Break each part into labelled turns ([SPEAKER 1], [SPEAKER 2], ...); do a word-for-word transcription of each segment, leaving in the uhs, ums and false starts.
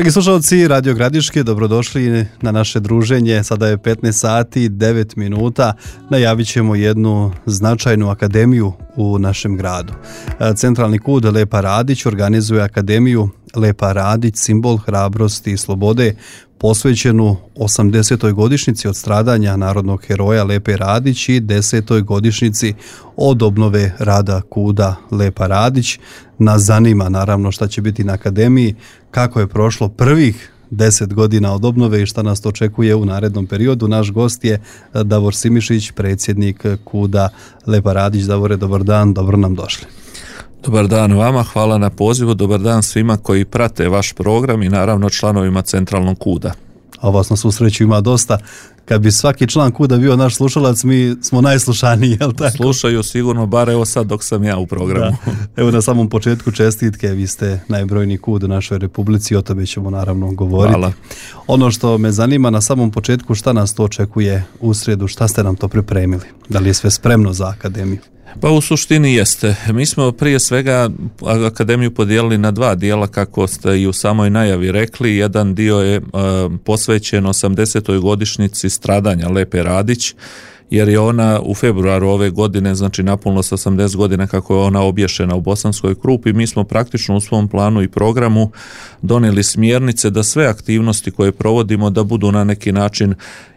[SPEAKER 1] Dragi slušalci Radio Gradiške, dobrodošli na naše druženje. Sada je petnaest sati i devet minuta. Najavit ćemo jednu značajnu akademiju u našem gradu. Centralni kud Lepa Radić organizuje akademiju Lepa Radić, simbol hrabrosti i slobode, posvećenu osamdesetoj godišnjici od stradanja narodnog heroja Lepe Radić i desetoj godišnjici od obnove rada kuda Lepa Radić. Nas zanima naravno šta će biti na akademiji, kako je prošlo prvih deset godina od obnove i šta nas to očekuje u narednom periodu. Naš gost je Davor Simišić, predsjednik kuda Lepa Radić. Davore, dobar dan, dobro nam došli.
[SPEAKER 2] Dobar dan vama, hvala na pozivu, dobar dan svima koji prate vaš program i naravno članovima Centralnog kuda.
[SPEAKER 1] A vas na susreću ima dosta. Kad bi svaki član kuda bio naš slušalac, mi smo najslušaniji, jel tako?
[SPEAKER 2] Slušaju sigurno, bar evo sad dok sam ja u programu.
[SPEAKER 1] Da. Evo na samom početku čestitke, vi ste najbrojniji kud u našoj republici, o tome ćemo naravno govoriti.
[SPEAKER 2] Hvala.
[SPEAKER 1] Ono što me zanima na samom početku, šta nas to očekuje u srijedu, šta ste nam to pripremili? Da li je sve spremno za akademiju?
[SPEAKER 2] Pa u suštini jeste. Mi smo prije svega akademiju podijelili na dva dijela, kako ste i u samoj najavi rekli. Jedan dio je e, posvećen osamdesetoj godišnjici stradanja Lepe Radić, jer je ona u februaru ove godine, znači napunilo se osamdeset godina kako je ona obješena u Bosanskoj Krupi. Mi smo praktično u svom planu i programu donijeli smjernice da sve aktivnosti koje provodimo da budu na neki način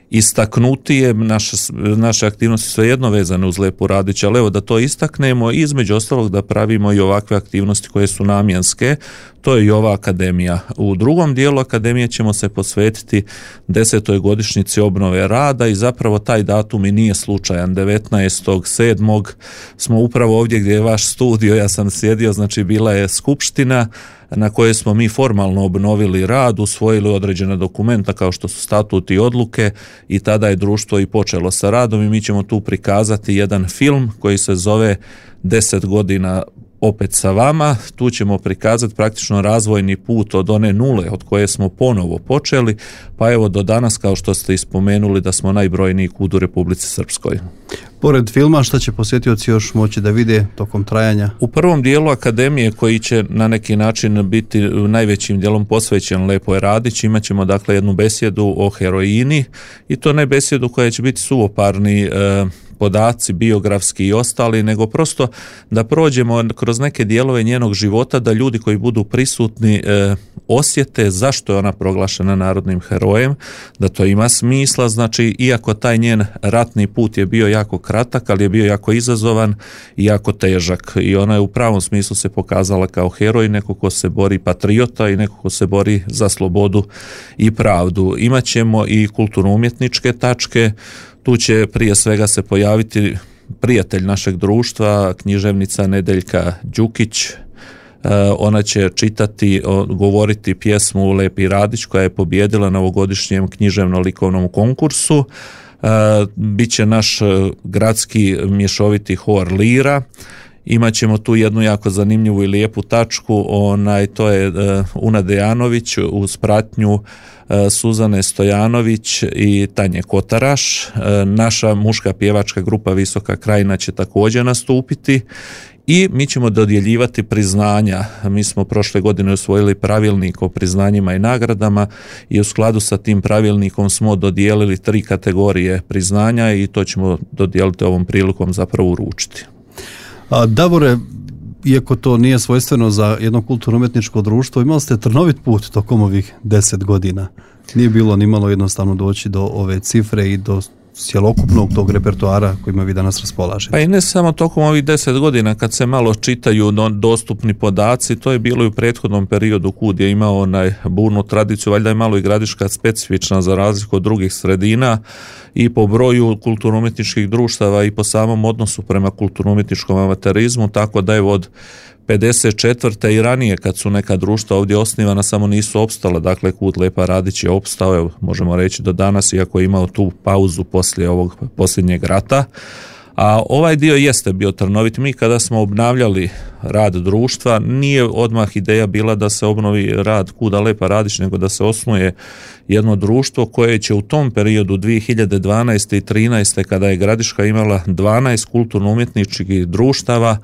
[SPEAKER 2] istaknutije, naše, naše aktivnosti su jedno vezane uz Lepu Radić, ali evo da to istaknemo i između ostalog da pravimo i ovakve aktivnosti koje su namjenske, to je i ova akademija. U drugom dijelu akademije ćemo se posvetiti desetoj godišnjici obnove rada i zapravo taj datum i nije slučajan. devetnaestog sedmog smo upravo ovdje gdje je vaš studio, ja sam sjedio, znači bila je skupština na kojoj smo mi formalno obnovili rad, usvojili određene dokumenta kao što su statut i odluke i tada je društvo i počelo sa radom i mi ćemo tu prikazati jedan film koji se zove deset godina opet sa vama. Tu ćemo prikazati praktično razvojni put od one nule od koje smo ponovo počeli, pa evo do danas, kao što ste ispomenuli, da smo najbrojniji kud u Republici Srpskoj.
[SPEAKER 1] Pored filma, šta će posjetioci još moći da vide tokom trajanja?
[SPEAKER 2] U prvom dijelu akademije, koji će na neki način biti najvećim dijelom posvećen Lepoj Radić, imat ćemo dakle jednu besjedu o heroini i to ne besjedu koja će biti suvoparni e, podaci biografski i ostali, nego prosto da prođemo kroz neke dijelove njenog života, da ljudi koji budu prisutni e, osjete zašto je ona proglašena narodnim herojem, da to ima smisla. Znači, iako taj njen ratni put je bio jako kratak, ali je bio jako izazovan i jako težak i ona je u pravom smislu se pokazala kao heroj, neko ko se bori, patriota i neko ko se bori za slobodu i pravdu. Imaćemo i kulturno-umjetničke tačke. Tu će prije svega se pojaviti prijatelj našeg društva, književnica Nedeljka Đukić. Ona će čitati, govoriti pjesmu Lepi Radić koja je pobijedila na ovogodišnjem književno-likovnom konkursu. Biće naš gradski mješoviti hor Lira. Imaćemo tu jednu jako zanimljivu i lijepu tačku, onaj, to je uh, Una Dejanović uz pratnju uh, Suzane Stojanović i Tanje Kotaraš. Uh, naša muška pjevačka grupa Visoka Krajina će također nastupiti i mi ćemo dodjeljivati priznanja. Mi smo prošle godine usvojili pravilnik o priznanjima i nagradama i u skladu sa tim pravilnikom smo dodijelili tri kategorije priznanja i to ćemo dodijeliti ovom prilikom zapravo uručiti.
[SPEAKER 1] A, Davore, iako to nije svojstveno za jedno kulturno-umjetničko društvo, imali ste trnovit put tokom ovih deset godina. Nije bilo ni malo jednostavno doći do ove cifre i do cjelokupnog tog repertoara kojima vi danas raspolažete.
[SPEAKER 2] Pa i ne samo tokom ovih deset godina, kad se malo čitaju dostupni podaci, to je bilo i u prethodnom periodu kud je imao onaj burnu tradiciju, valjda je malo i Gradiška specifična za razliku od drugih sredina i po broju kulturno-umjetničkih društava i po samom odnosu prema kulturno-umjetničkom amaterizmu, tako da je od pedeset četvrte i ranije kad su neka društva ovdje osnivana samo nisu opstala, dakle kud Lepa Radić je opstao, evo, možemo reći do danas, iako je imao tu pauzu poslije ovog posljednjeg rata. A ovaj dio jeste bio trnovit. Mi kada smo obnavljali rad društva. Nije odmah ideja bila da se obnovi rad Kuda Lepa Radić, nego da se osnuje jedno društvo koje će u tom periodu dvije hiljade dvanaeste i trinaeste kada je Gradiška imala dvanaest kulturno-umjetničkih društava,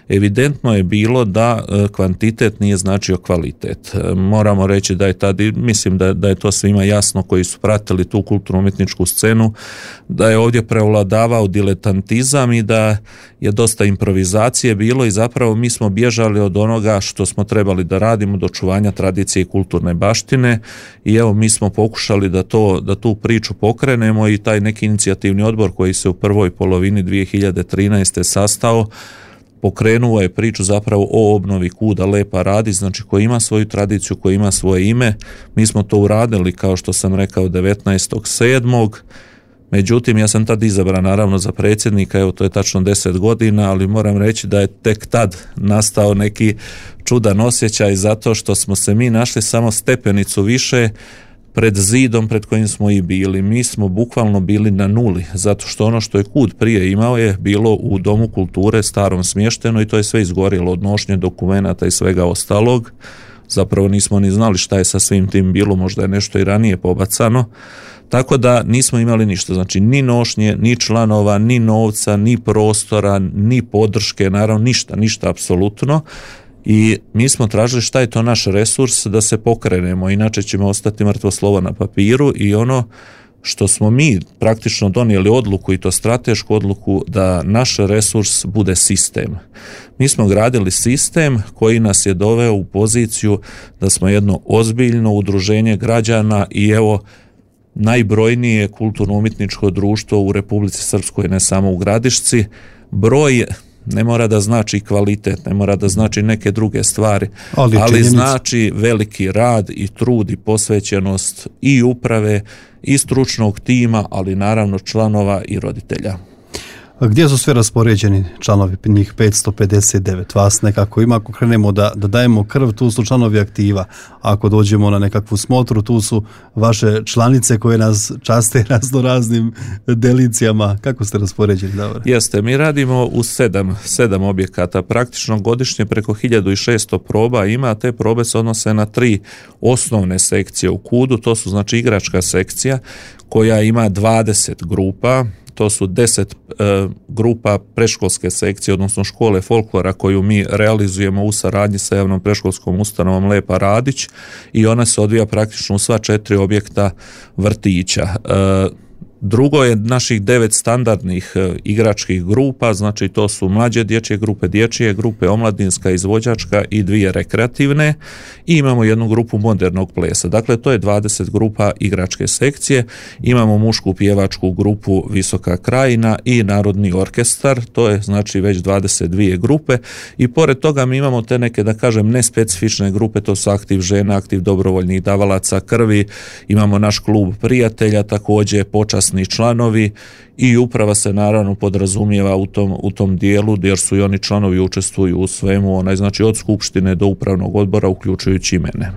[SPEAKER 2] evidentno je bilo da kvantitet nije značio kvalitet. Moramo reći da je tad, mislim da, da je to svima jasno koji su pratili tu kulturno-umjetničku scenu, da je ovdje prevladavao diletantizam i da je dosta improvizacije bilo i zapravo mi smo bježali od onoga što smo trebali da radimo, do očuvanja tradicije i kulturne baštine i evo mi smo pokušali da, to, da tu priču pokrenemo i taj neki inicijativni odbor koji se u prvoj polovini dvije hiljade trinaeste sastao, pokrenuo je priču zapravo o obnovi Kuda Lepa Radić, znači koji ima svoju tradiciju, koji ima svoje ime. Mi smo to uradili, kao što sam rekao, devetnaestog sedmog Međutim, ja sam tad izabran naravno za predsjednika, evo to je tačno deset godina, ali moram reći da je tek tad nastao neki čudan osjećaj zato što smo se mi našli samo stepenicu više pred zidom pred kojim smo i bili. Mi smo bukvalno bili na nuli, zato što ono što je Kud prije imao je bilo u Domu kulture starom smješteno i to je sve izgorjelo od nošnje dokumenata i svega ostalog. Zapravo nismo ni znali šta je sa svim tim bilo, možda je nešto i ranije pobacano. Tako da nismo imali ništa, znači ni nošnje, ni članova, ni novca, ni prostora, ni podrške, naravno ništa, ništa apsolutno. I mi smo tražili šta je to naš resurs da se pokrenemo, inače ćemo ostati mrtvo slovo na papiru i ono što smo mi praktično donijeli odluku i to stratešku odluku da naš resurs bude sistem. Mi smo gradili sistem koji nas je doveo u poziciju da smo jedno ozbiljno udruženje građana i evo najbrojnije kulturno-umjetničko društvo u Republici Srpskoj, ne samo u Gradišci. Broj ne mora da znači kvalitet, ne mora da znači neke druge stvari, ali, ali znači veliki rad i trud i posvećenost i uprave i stručnog tima, ali naravno članova i roditelja.
[SPEAKER 1] A gdje su sve raspoređeni članovi, njih petsto pedeset devet? Vas nekako ima, ako krenemo da, da dajemo krv, tu su članovi aktiva. Ako dođemo na nekakvu smotru, tu su vaše članice koje nas časte razno raznim delicijama. Kako ste raspoređeni, Davor?
[SPEAKER 2] Jeste, mi radimo u sedam, sedam objekata. Praktično godišnje preko hiljadu šesto proba ima, te probe se odnose na tri osnovne sekcije u Kudu. To su znači igračka sekcija koja ima dvadeset grupa. To su deset e, grupa predškolske sekcije, odnosno škole folklora koju mi realizujemo u saradnji sa javnom predškolskom ustanovom Lepa Radić i ona se odvija praktično u sva četiri objekta vrtića. E, Drugo je naših devet standardnih e, igračkih grupa, znači to su mlađe dječje grupe, dječje grupe, omladinska, izvođačka i dvije rekreativne i imamo jednu grupu modernog plesa. Dakle, to je dvadeset grupa igračke sekcije. Imamo mušku pjevačku grupu Visoka krajina i narodni orkestar, to je znači već dvadeset dvije grupe i pored toga mi imamo te neke, da kažem, nespecifične grupe, to su aktiv žena, aktiv dobrovoljnih davalaca krvi, imamo naš klub prijatelja, također počasni članovi i uprava se naravno podrazumijeva u tom, u tom dijelu jer su i oni članovi učestvuju u svemu, onaj, znači od skupštine do upravnog odbora uključujući i mene.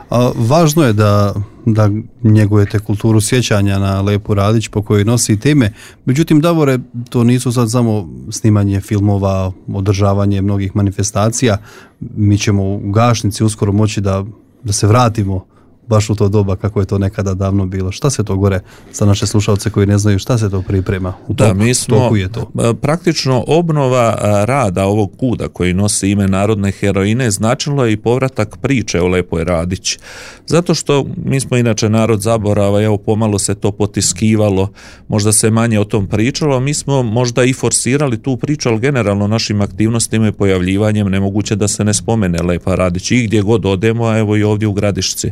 [SPEAKER 1] A, važno je da, da njegujete kulturu sjećanja na Lepu Radić po kojoj nosite ime, međutim, Davore, to nisu sad samo snimanje filmova, održavanje mnogih manifestacija, mi ćemo u Gašnici uskoro moći da, da se vratimo baš u to doba kako je to nekada davno bilo. Šta se to gore za naše slušalce koji ne znaju šta se to priprema? U toku,
[SPEAKER 2] da, mi smo
[SPEAKER 1] toku je to.
[SPEAKER 2] Praktično obnova rada ovog Kuda koji nosi ime narodne heroine značilo je i povratak priče o Lepoj Radić. Zato što mi smo inače narod zaborava, evo pomalo se to potiskivalo, možda se manje o tom pričalo, mi smo možda i forsirali tu priču, ali generalno našim aktivnostima i pojavljivanjem nemoguće da se ne spomene Lepa Radić i gdje god odemo, a evo i ovdje u Gradišci.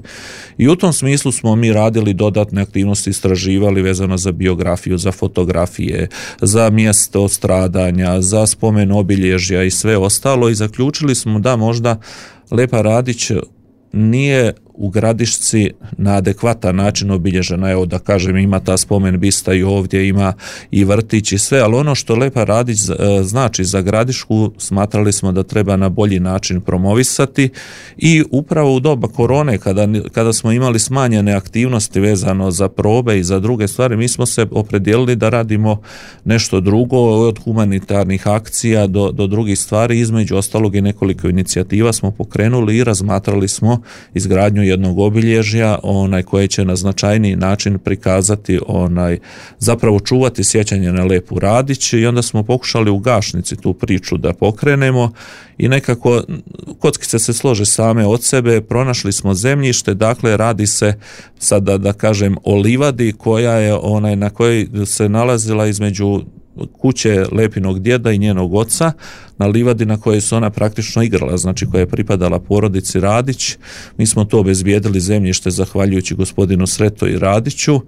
[SPEAKER 2] I u tom smislu smo mi radili dodatne aktivnosti, istraživali vezano za biografiju, za fotografije, za mjesto stradanja, za spomen obilježja i sve ostalo i zaključili smo da možda Lepa Radić nije u Gradišci na adekvatan način obilježena. Evo da kažem, ima ta spomen bista i ovdje, ima i vrtić i sve, ali ono što Lepa Radić znači za Gradišku smatrali smo da treba na bolji način promovisati i upravo u doba korone kada, kada smo imali smanjene aktivnosti vezano za probe i za druge stvari, mi smo se opredijelili da radimo nešto drugo, od humanitarnih akcija do, do drugih stvari, između ostalog i nekoliko inicijativa smo pokrenuli i razmatrali smo izgradnju jednog obilježja onaj koje će na značajniji način prikazati onaj zapravo čuvati sjećanje na Lepu Radić i onda smo pokušali u Gašnici tu priču da pokrenemo i nekako kockice se slože same od sebe, pronašli smo zemljište, dakle radi se sada da kažem o livadi koja je onaj na kojoj se nalazila između kuće Lepinog djeda i njenog oca, na livadi na kojoj se ona praktično igrala, znači koja je pripadala porodici Radić. Mi smo to obezbijedili zemljište zahvaljujući gospodinu Sreto i Radiću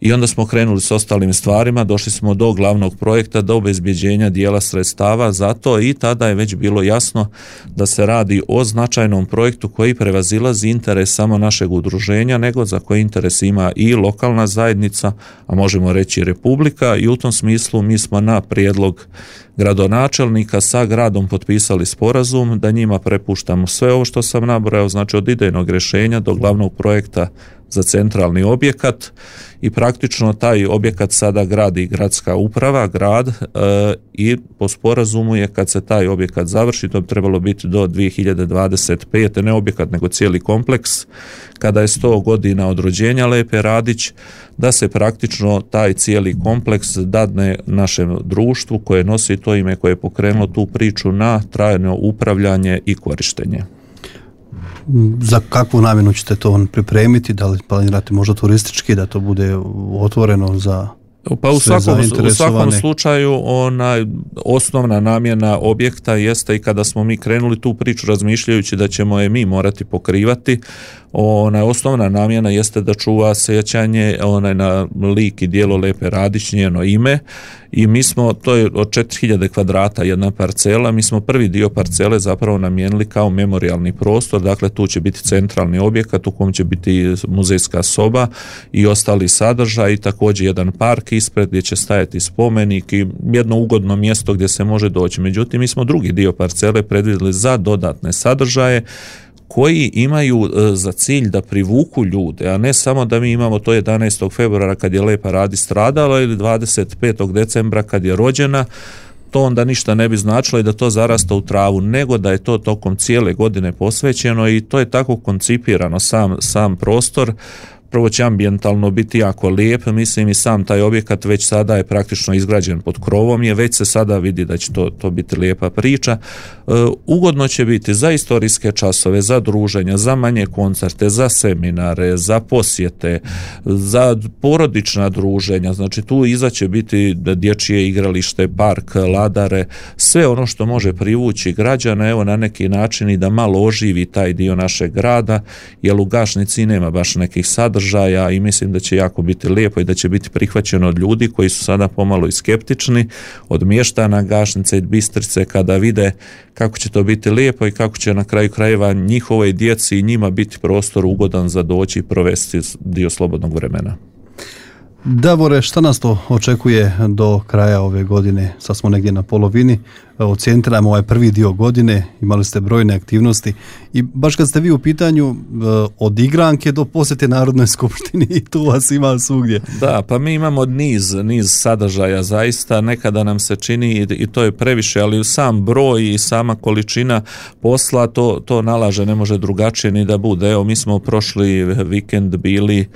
[SPEAKER 2] i onda smo krenuli s ostalim stvarima, došli smo do glavnog projekta, do obezbjeđenja dijela sredstava za to i tada je već bilo jasno da se radi o značajnom projektu koji prevazilazi interes samo našeg udruženja, nego za koji interes ima i lokalna zajednica, a možemo reći i Republika, i u tom smislu mi smo na prijedlog gradonačelnika sa gradom potpisali sporazum da njima prepuštamo sve ovo što sam nabrojao, znači od idejnog rješenja do glavnog projekta za centralni objekat i praktično taj objekat sada gradi gradska uprava, grad e, i po sporazumu je kad se taj objekat završi, to bi trebalo biti do dvije hiljade dvadeset pete. ne objekat nego cijeli kompleks, kada je sto godina od rođenja Lepe Radić, da se praktično taj cijeli kompleks dadne našem društvu koje nosi to ime, koje je pokrenulo tu priču na trajno upravljanje i korištenje.
[SPEAKER 1] Za kakvu namjenu ćete to pripremiti? Da li planirate možda turistički, da to bude otvoreno za
[SPEAKER 2] pa u svakom, u svakom slučaju ona osnovna namjena objekta jeste i kada smo mi krenuli tu priču razmišljajući da ćemo je mi morati pokrivati, ona osnovna namjena jeste da čuva sjećanje onaj na lik i djelo Lepe Radić, njeno ime, i mi smo, to je od četiri hiljade kvadrata jedna parcela, mi smo prvi dio parcele zapravo namijenili kao memorijalni prostor, dakle tu će biti centralni objekat u kom će biti muzejska soba i ostali sadržaj i također jedan park ispred gdje će stajati spomenik i jedno ugodno mjesto gdje se može doći. Međutim, mi smo drugi dio parcele predvidjeli za dodatne sadržaje koji imaju za cilj da privuku ljude, a ne samo da mi imamo to jedanaestog februara kad je Lepa Radić stradala ili dvadeset petog decembra kad je rođena, to onda ništa ne bi značilo i da to zarasta u travu, nego da je to tokom cijele godine posvećeno i to je tako koncipirano sam, sam prostor. Prvo će ambijentalno biti jako lijep, mislim i sam taj objekat već sada je praktično izgrađen pod krovom, je već se sada vidi da će to, to biti lijepa priča. E, ugodno će biti za istorijske časove, za druženja, za manje koncerte, za seminare, za posjete, za porodična druženja, znači tu iza će biti dječje igralište, park, ladare, sve ono što može privući građana, evo na neki način i da malo oživi taj dio našeg grada, jer u Gašnici nema baš nekih sadržaja i mislim da će jako biti lijepo i da će biti prihvaćeno od ljudi koji su sada pomalo i skeptični, od mještana Gašnice i Bistrice kada vide kako će to biti lijepo i kako će na kraju krajeva njihovoj djeci i njima biti prostor ugodan za doći i provesti dio slobodnog vremena.
[SPEAKER 1] Davore, šta nas to očekuje do kraja ove godine? Sad smo negdje na polovini, ocjentiramo ovaj prvi dio godine, imali ste brojne aktivnosti i baš kad ste vi u pitanju od igranke do posjete Narodnoj skupštini i tu vas ima svugdje.
[SPEAKER 2] Da, pa mi imamo niz, niz sadržaja zaista, nekada nam se čini i to je previše, ali sam broj i sama količina posla to, to nalaže, ne može drugačije ni da bude. Evo, mi smo prošli vikend bili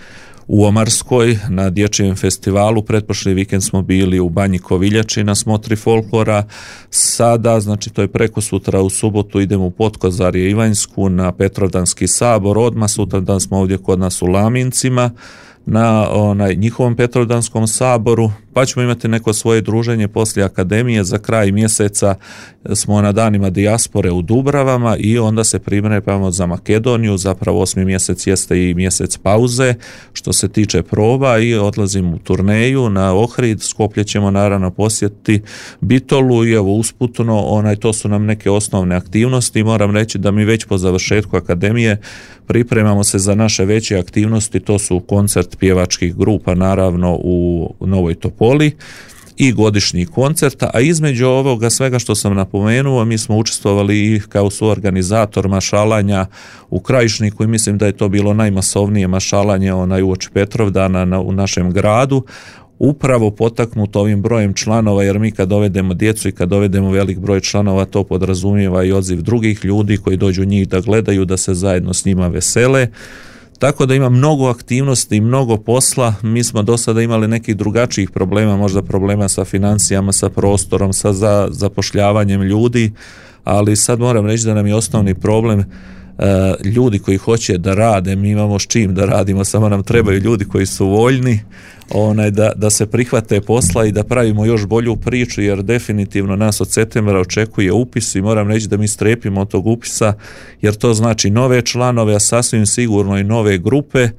[SPEAKER 2] u Omarskoj na dječjem festivalu, pretprošli vikend smo bili u Banji Koviljači na smotri folklora, sada, znači to je preko sutra u subotu idemo u Potkozarje Ivanjsku na Petrovdanski sabor, odmah sutra dan smo ovdje kod nas u Lamincima, na onaj njihovom Petrovdanskom saboru, pa ćemo imati neko svoje druženje poslije akademije. Za kraj mjeseca smo na danima dijaspore u Dubravama i onda se pripremamo za Makedoniju. Zapravo osmi mjesec jeste i mjesec pauze što se tiče proba i odlazim u turneju na Ohrid. Skoplje ćemo naravno posjetiti, Bitolu i evo usputno onaj, to su nam neke osnovne aktivnosti. Moram reći da mi već po završetku akademije pripremamo se za naše veće aktivnosti, to su koncert pjevačkih grupa naravno u Novoj Topoli i godišnji koncert, a između ovoga svega što sam napomenuo, mi smo učestvovali i kao suorganizator mašalanja u Krajišniku i mislim da je to bilo najmasovnije mašalanje onaj uoči Petrovdana na, u našem gradu, upravo potaknuto ovim brojem članova, jer mi kad dovedemo djecu i kad dovedemo velik broj članova, to podrazumijeva i odziv drugih ljudi koji dođu njih da gledaju, da se zajedno s njima vesele. Tako da ima mnogo aktivnosti i mnogo posla. Mi smo do sada imali nekih drugačijih problema, možda problema sa financijama, sa prostorom, sa za, zapošljavanjem ljudi, ali sad moram reći da nam je osnovni problem ljudi koji hoće da rade. Mi imamo s čim da radimo, samo nam trebaju ljudi koji su voljni onaj, da, da se prihvate posla i da pravimo još bolju priču, jer definitivno nas od septembra očekuje upis i moram reći da mi strepimo od tog upisa, jer to znači nove članove, a sasvim sigurno i nove grupe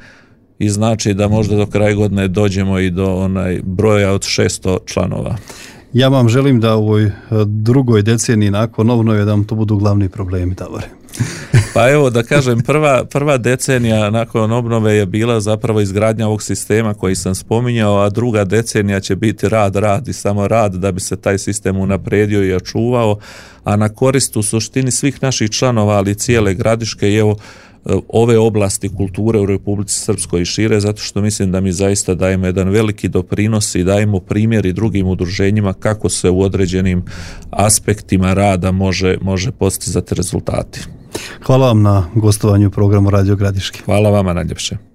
[SPEAKER 2] i znači da možda do kraja godine dođemo i do onaj broja od šesto članova.
[SPEAKER 1] Ja vam želim da u ovoj drugoj deceniji nakon obnove da vam to budu glavni problemi, Davore.
[SPEAKER 2] Pa evo da kažem, prva, prva decenija nakon obnove je bila zapravo izgradnja ovog sistema koji sam spominjao, a druga decenija će biti rad, rad i samo rad da bi se taj sistem unaprijedio i očuvao, a na korist u suštini svih naših članova, ali cijele Gradiške i evo ove oblasti kulture u Republici Srpskoj i šire, zato što mislim da mi zaista dajemo jedan veliki doprinos i dajemo primjer i drugim udruženjima kako se u određenim aspektima rada može, može postizati rezultati.
[SPEAKER 1] Hvala vam na gostovanju u programu Radio Gradiške.
[SPEAKER 2] Hvala vama najljepše.